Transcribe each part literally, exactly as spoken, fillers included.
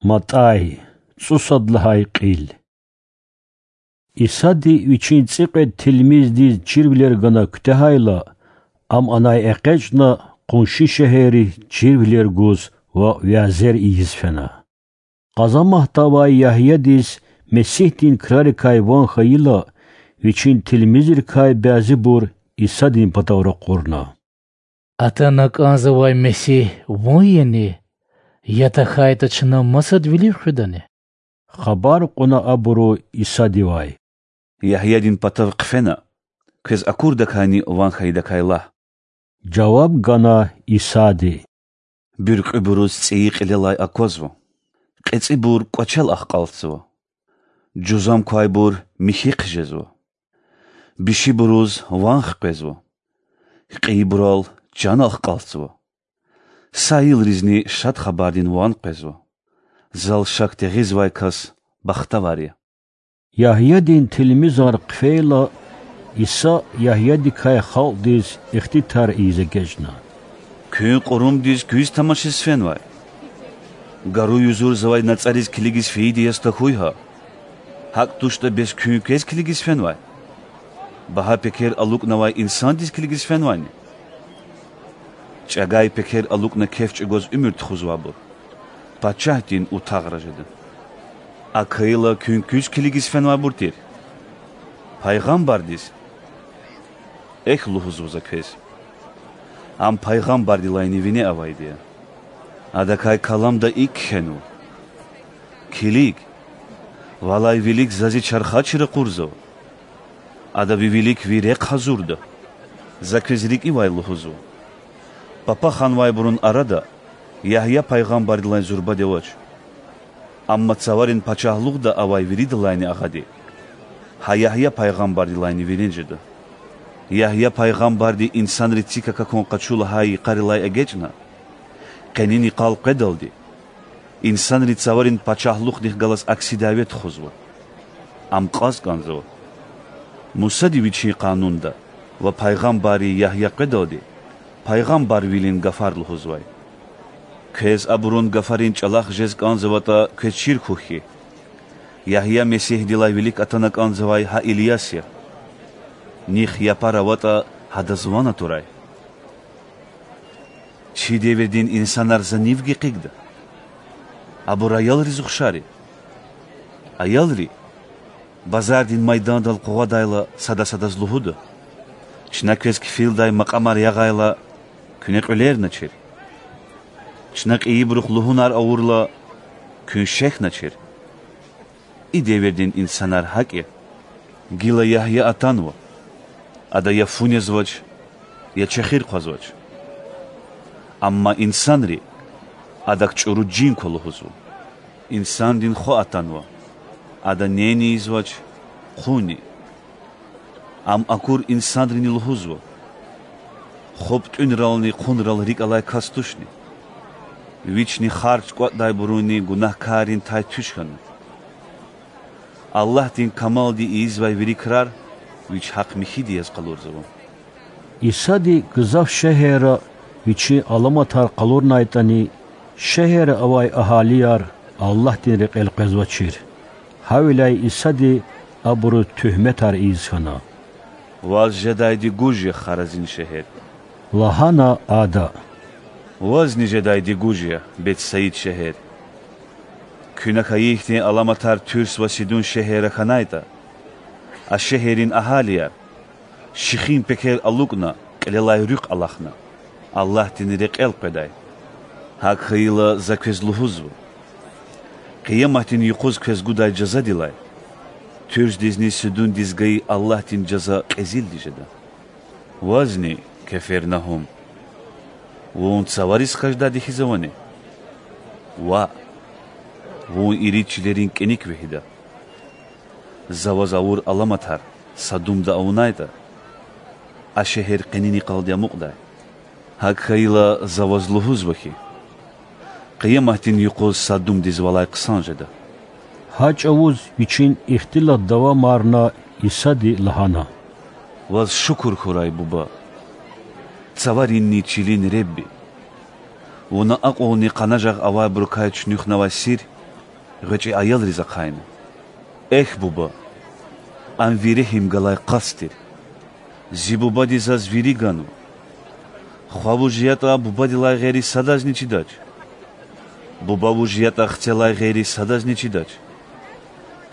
МатӀай, цӀусад лагьай кьил. Исади Вичин цӀикьвед тилмиздиз чирвилер гана куьтягьайла, Ам анай экъечӀна, къунши шегьерриз чирвилер гуз ва вязер ийиз фена. Къазанмагьда авай Ягьядиз Месигьдин крарикай ван хьайила, Вичин тилмизрикай бязибур Исадин патав ракъурна: Атана кӀанзавай Месигь Вун яни? Я тахьайтӀа чна масад вилив хуьдани? Хабар кьуна абуру Исадивай: Ягьядин патав хъфена, квез акурдакайни ван хьайидакай лагь,– жаваб гана Исади. Буьркьуьбуруз цӀийи кьилелай аквазва, кьецӀибур кӀвачел ахкьалтзава, жузам квайбур михьи хъжезва, бишибуруз ван хквезва, кьейибурал чан ахкьалтзава, са йилризни Шад Хабардин ван къвезва. Зал шак тегъизвай кас бахтавар я. Ягьядин тилмизар хъфейла, Иса Ягьядикай халкьдиз ихтитар ийиз эгечӀна: Куьн кьурумдиз куьз тамашиз фенвай? Гару юзурзавай нацӀариз килигиз фейиди яз тахьуй гьа. ГьакӀ туштӀа бес куьн квез килигиз фенвай? Багьа пекер алукӀнавай инсандиз килигиз фенвайни? ЧӀагай пекер алукӀна кеф чӀугваз уьмуьр тухузвайбур пачагьдин утагъра жеда. АкӀ хьайила куьн куьз килигиз фенвайбур тир? Пайгъамбардиз? Эхь лугьузва за квез: ам пайгъамбардилайни вине авайди я. Адакай каламда икӀ кхьенва: Килиг, валай вилик за зи чархачи ракъурзава. Ада ви вилик ви рехъ гьазурда. За квез рикӀивай лугьузва: папа ханвайбурун арада Ягья пайгъамбардилай зурбади авач. Амма цаварин пачагьлугъда авай виридалайни агъади гьа Ягья пайгъамбардилайни вине жеда. Ягья пайгъамбарди инсанри цик акахьун къачу лагьай йикъарилай эгечӀна, къенин йикъал къведалди, инсанри цаварин пачагьлугъдихъ галаз акси дяве тухузва. Ам кьаз кӀанзава: Мусади вичин Къанунда ва пайгъамбарри Ягья къведалди пайгъамбарвилин гафар лугьузвай. Квез абурун гафарин чӀалахъ жез кӀанзаватӀа, квез чир хьухь хьи, Ягья Месигьдилай вилик атана кӀанзавай гьа Ильяс я. Нихъ япар аватӀа, гьадаз ван атурай. Чи девирдин инсанар за нивги къигда? Абур аялриз ухшар я. Аялри базардин майдандал къугъвадайла, сада садаз лугьуда: Чна квез кфилдай макьамар ягъайла, куьне кьуьлерначир. Чна кьейибурухъ лугьунар авурла, куьн шехьначир. И девирдин инсанар гьакӀ я. Гила Ягья атанва, ада я фу незвач, я чехир хъвазвач. Амма инсанри адак чӀуру жин ква лугьузва. Инсандин Хва атанва, ада нени ийизвач, хъунни. Ам акур инсанрини лугьузва: ХупӀ тӀуьнрални хъунрал рикӀ алай кас тушни? Вични харж кӀватӀдайбурунни гунагькаррин тай туш хьана. Аллагьдин камалди ийизвай вири крар Вич гьахъ-михьиди яз къалурзава. Исади гзаф шегьерра Вичин аламатар къалурнайтӀани, шегьерра авай агьалияр Аллагьдин рекьел къвезвачир. Гьавиляй Исади абуруз туьгьметар ийиз хьана. Ваз жедайди гуж я, Харазин шегьер! лагьана Ада. Вазни жедайди гуж я, Бетсаид шегьер! Куьне хьайи ихьтин аламатар Туьрс ва Сидун шегьерра хьанайтӀа, а шегьеррин агьалияр, шихин пекер алукӀна, кьилелай руьхъ алахъна, Аллагьдин рекьел къведай. ГьакӀ хьайила, За квез лугьузва: Къияматдин юкъуз квез гудай жазадилай Туьрсдизни Сидундиз гайи Аллагьдин жаза кьезилди жеда. Вазни, Кефернагьум, вун цавариз хкаждайди хьиз авани? Ваъ, вун ирид чилерин кӀаник вегьида. За ваз авур аламатар Садумда авунайтӀа, а шегьер къенин йикъалди амукьдай. ГьакӀ хьайила, За ваз лугьузва хьи, Къияматдин юкъуз Садумдиз валай хъсан жеда. Гьа чӀавуз вичин ихтилат давамарна, Исади лагьана: Ваз шукур хьурай, Буба, цаваринни чилин Худа! Вуна акьулни къанажагъ авайбурукай чуьнуьхнавай сир ГъвечӀи аялриз ахъайна: Эхь, буба, ам ви регьим галай къаст тир. Зи бубади заз вири ганва. Хва вуж ятӀа, бубадилай гъейри садазни чидач. Буба вуж ятӀа, хцелай гъейри садазни чидач.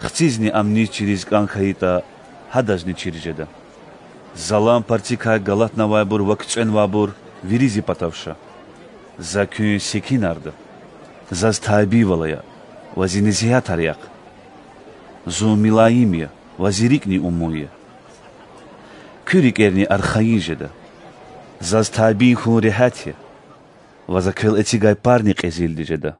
Хцизни ам низ чириз кӀан хьайитӀа, гьадазни чир жеда. Залан парцикай галатнавайбур ва куьцӀенвайбур вири зи патав ша. За куьн секинарда. Заз табийвал ая ва зи несигьатар яхъ. Зун милаим я ва зи рикӀни умун я. Куь рикӀерни архайин жеда. Заз табий хьун регьят я ва За квел эцигай парни кьезилди жеда.